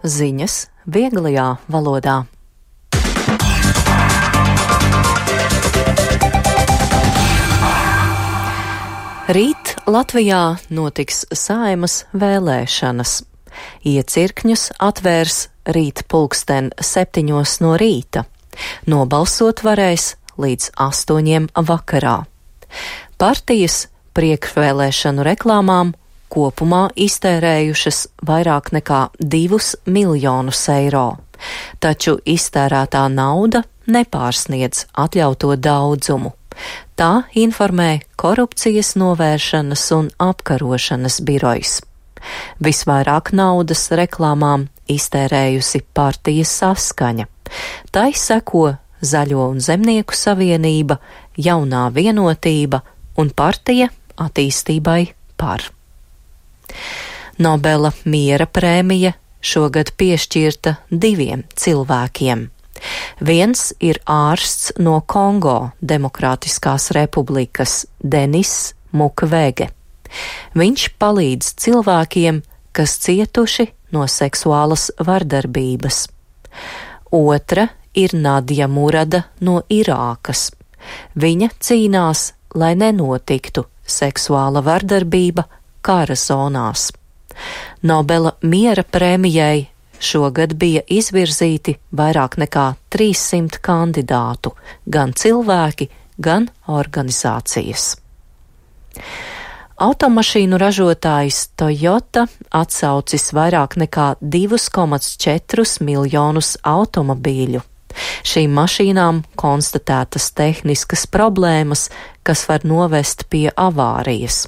Ziņas vieglajā valodā. Rīt Latvijā notiks Saeimas vēlēšanas. Iecirkņus atvērs rīt 7:00 no rīta. Nobalsot varēs līdz 8:00 vakarā. Partijas priekšvēlēšanu reklāmām kopumā iztērējušas vairāk nekā 2 miljonus eiro, taču iztērētā nauda nepārsniedz atļauto daudzumu. Tā informē Korupcijas novēršanas un apkarošanas birojs. Visvairāk naudas reklāmām iztērējusi partija Saskaņa. Tai seko Zaļo un Zemnieku savienība, Jaunā vienotība un partija Attīstībai par. Nobela miera prēmija šogad piešķirta 2 cilvēkiem. Viens ir ārsts no Kongo Demokrātiskās republikas Denis Mukwege. Viņš palīdz cilvēkiem, kas cietuši no seksuālas vardarbības. Otra ir Nadja Murada no Irākas. Viņa cīnās, lai nenotiktu seksuāla vardarbība kara zonās. Nobela miera prēmijai šogad bija izvirzīti vairāk nekā 300 kandidātu, gan cilvēki, gan organizācijas. Automašīnu ražotājs Toyota atsaucis vairāk nekā 2,4 miljonus automobīļu. Šīm mašīnām konstatētas tehniskas problēmas, kas var novest pie avārijas.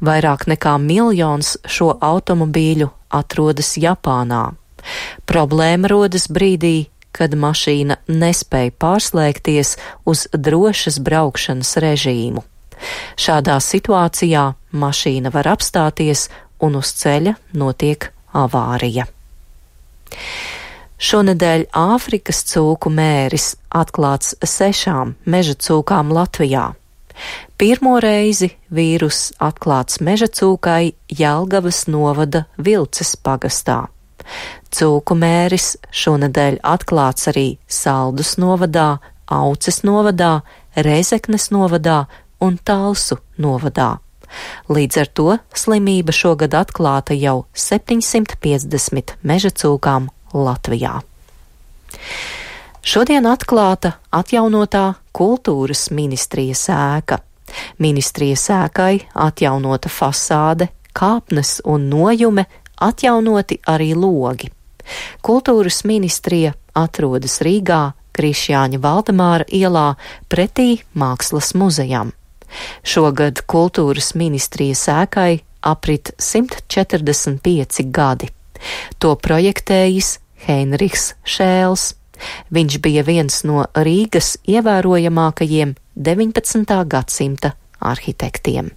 Vairāk nekā 1 miljons šo automobīļu atrodas Japānā. Problēma rodas brīdī, kad mašīna nespēja pārslēgties uz drošas braukšanas režīmu. Šādā situācijā mašīna var apstāties un uz ceļa notiek avārija. Šonedēļ Āfrikas cūku mēris atklāts 6 meža cūkām Latvijā. Pirmo reizi vīrus atklāts meža cūkai Jelgavas novada Vilces pagastā. Cūku mēris šonedēļ atklāts arī Saldus novadā, Auces novadā, Rēzeknes novadā un Talsu novadā. Līdz ar to slimība šogad atklāta jau 750 meža cūkām Latvijā. Šodien atklāta atjaunotā kultūras ministrijas ēka. Ministrijas ēkai atjaunota fasāde, kāpnes un nojume, atjaunoti arī logi. Kultūras ministrija atrodas Rīgā, Krišjāņa Valdemāra ielā pretī Mākslas muzejam. Šogad kultūras ministrijas ēkai aprit 145 gadi. To projektējis Heinrichs Šēls. Viņš bija viens no Rīgas ievērojamākajiem 19. gadsimta arhitektiem.